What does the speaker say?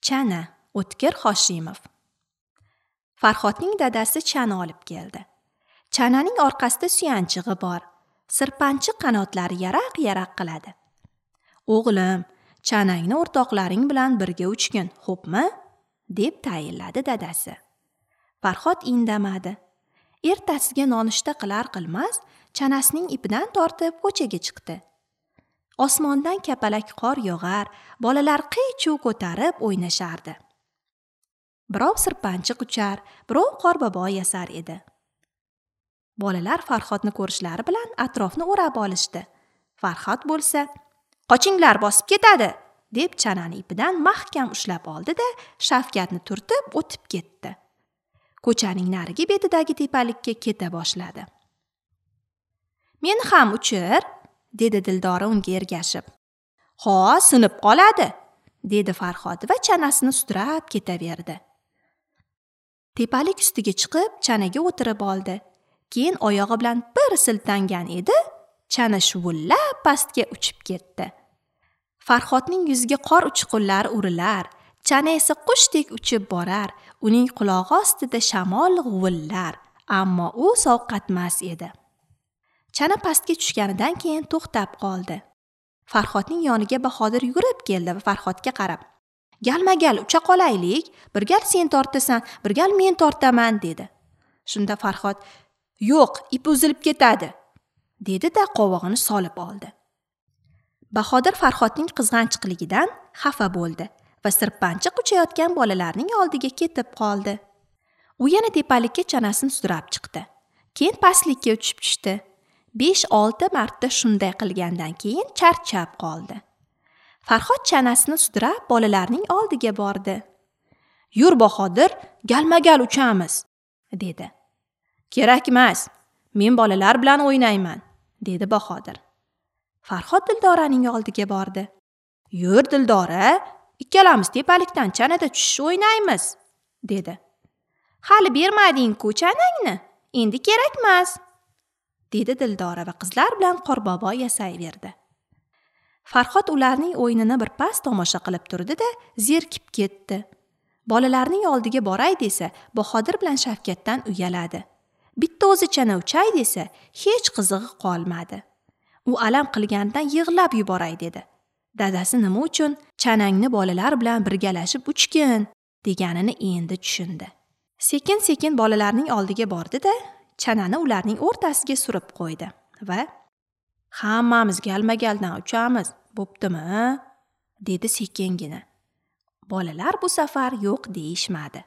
Chana, O'tkir Hoshimov. Farhodning dadasi chana olib keldi. Chananing orqasida suyanchig'i bor. Sirpanchiq qanotlari yaraq-yaraq qiladi. "O'g'lim, chanangni o'rtoqlaring bilan birga uchgin, xo'pmi?" deb tayinladi dadasi. Farhod indamadi. Ertasiga nonushta qilar qilmas, chanasining ipidan tortib ko'chaga chiqdi. Osmondan kapalak qor yog'ar, bolalar qiy-chuv ko'tarib o'ynashardi. Birov sirpanchiq uchar, birov qorbobo yasar edi. Bolalar Farhodni ko'rishlari bilan atrofni o'rab olishdi. Farhod bo'lsa, "Qochinglar, bosib ketadi!" deb chanani ipidan mahkam ushlab oldi-da, Shavkatni turtib o'tib ketdi. Ko'chaning narigi betidagi tepalikka keta boshladi. "Meni ham uchir!" dedi Dildora unga ergashib. "Ho, sinib qoladi!" dedi Farhod va chanasini sudrab ketaverdi. Tepalik ustiga chiqib, chanaga o'tirib oldi. Keyin oyog'i bilan bir siltangan edi, chana shuvillab pastga uchib ketdi. Farhodning yuziga qor uchqunlari urilar, chana esa qushdek uchib borar, uning qulog'i ostida shamol g'uvillar, ammo u sovqatmas edi. Chana pastga tushganidan keyin to'xtab qoldi. Farhodning yoniga Bahodir yugurib keldi va Farhodga qarab, "Galma-gal ucha qolaylik, bir gal sen tortasan, bir gal men tortaman" dedi. Shunda Farhod, "Yo'q, ip uzilib ketadi" dedi-da qovog'ini solib oldi. Bahodir Farhodning qizg'anchiqligidan xafa bo'ldi va sirpanchiq uchayotgan bolalarning oldiga ketib qoldi. U yana tepalikka chanasini sudrab chiqdi. Keyin pastlikka uchib tushdi. 5-6 marta shunday qilgandan keyin charchab qoldi. Farhod chanasini sudrab bolalarning oldiga bordi. "Yur Bahodir, galma-gal uchamiz" dedi. "Kerakmas, men bolalar bilan o'ynayman" dedi Bahodir. Farhod Dildoraning oldiga bordi. "Yur Dildora, ikkalamiz tepalikdan chanada tushish o'ynaymiz" dedi. "Hali bermading-ku chanangni, endi kerakmas" dedi Dildora va qizlar bilan qorbobo yasayverdi. Farhod ularning o'yinini bir pas tomosha qilib turdi-da, zerikib ketdi. Bolalarning oldiga boray desa, Bahodir bilan Shavkatdan uyaladi. Bitta o'zi chana uchay desa, hech qizig'i qolmadi. U alam qilganidan yig'lab yuboray dedi. Dadasi nima uchun chanangni bolalar bilan birgalashib uchgin deganini endi tushundi. Sekin-sekin bolalarning oldiga bordi-da, chanani ularning o'rtasiga surib qo'ydi va "Hammamiz galma-galdan uchamiz, bo'ptimi?" dedi sekingina. Bolalar bu safar yo'q deyishmadi.